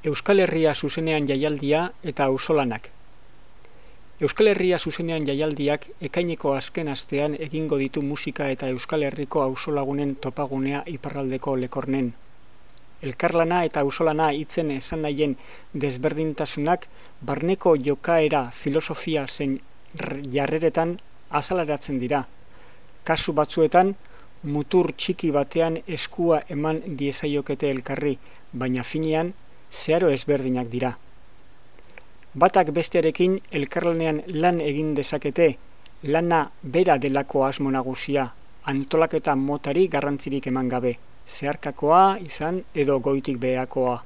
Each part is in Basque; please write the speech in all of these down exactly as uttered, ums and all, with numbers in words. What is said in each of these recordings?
Euskal Herria zuzenean jaialdia eta auzolanak. Euskal Herria zuzenean jaialdiak ekaineko azken astean egingo ditu musika eta Euskal Herriko auzolagunen topagunea iparraldeko Lekornen. Elkarlana eta auzolana hitzen esan nahien desberdintasunak barneko jokaera, filosofia zein jarreretan azaleratzen dira. Kasu batzuetan, mutur txiki batean eskua eman diezaiokete elkarri, baina finean zeharo ezberdinak dira. Batak bestearekin elkarlanean lan egin dezakete, lana bera delako asmo nagusia, antolaketa motari garrantzirik eman gabe, zeharkakoa izan edo goitik beherakoa.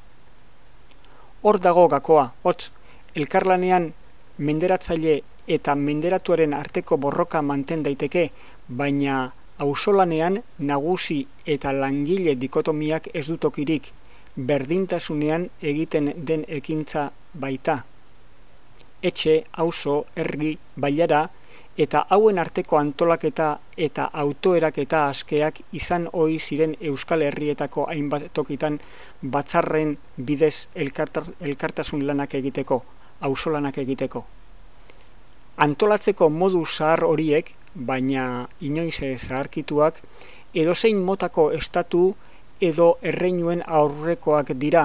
Hor dago gakoa, hotz, elkarlanean menderatzaile eta menderatuaren arteko borroka manten daiteke, baina auzolanean nagusi eta langile dikotomiak ez du tokirik, berdintasunean egiten den ekintza baita. Etxe, auzo, herri, bailara eta hauen arteko antolaketa eta autoeraketa askeak izan ohi ziren Euskal Herrietako hainbat tokitan batzarren bidez elkartasun lanak egiteko, auzolanak egiteko. Antolatzeko modu zahar horiek, baina inoiz zaharkituak, edozein motako estatu edo erreinuen aurrekoak dira.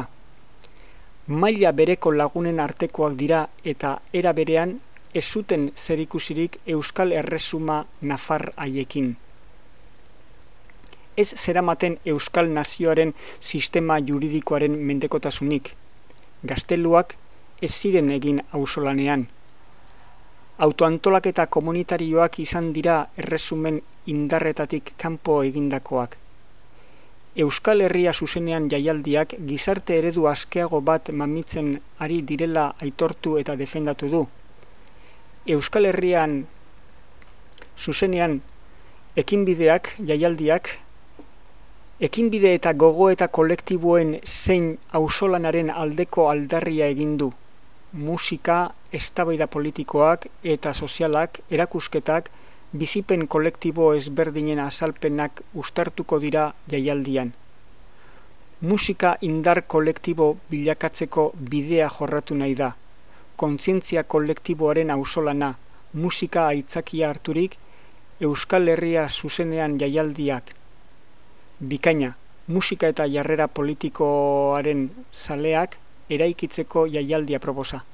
Maila bereko lagunen artekoak dira eta era berean ez zuten zerikusirik Euskal Erresuma nafar haiekin. Ez zeramaten Euskal Nazioaren sistema juridikoaren mendekotasunik. Gazteluak ez ziren egin auzolanean. Autoantolaketa komunitarioak izan dira erresumen indarretatik kanpo egindakoak. Euskal Herria zuzenean jaialdiak gizarte eredu askeago bat mamitzen ari direla aitortu eta defendatu du. Euskal Herrian zuzenean ekinbideak, jaialdiak, ekinbide eta gogoeta kolektiboen zein auzolanaren aldeko aldarria egin du. Musika, eztabaida politikoak eta sozialak, erakusketak, bizipen kolektibo ezberdinen azalpenak uztartuko dira jaialdian. Musika indar kolektibo bilakatzeko bidea jorratu nahi da. Kontzientzia kolektiboaren auzolana, musika aitzakia harturik, Euskal Herria zuzenean jaialdiak. Bikaina, musika eta jarrera politikoaren zaleak eraikitzeko jaialdia proposa.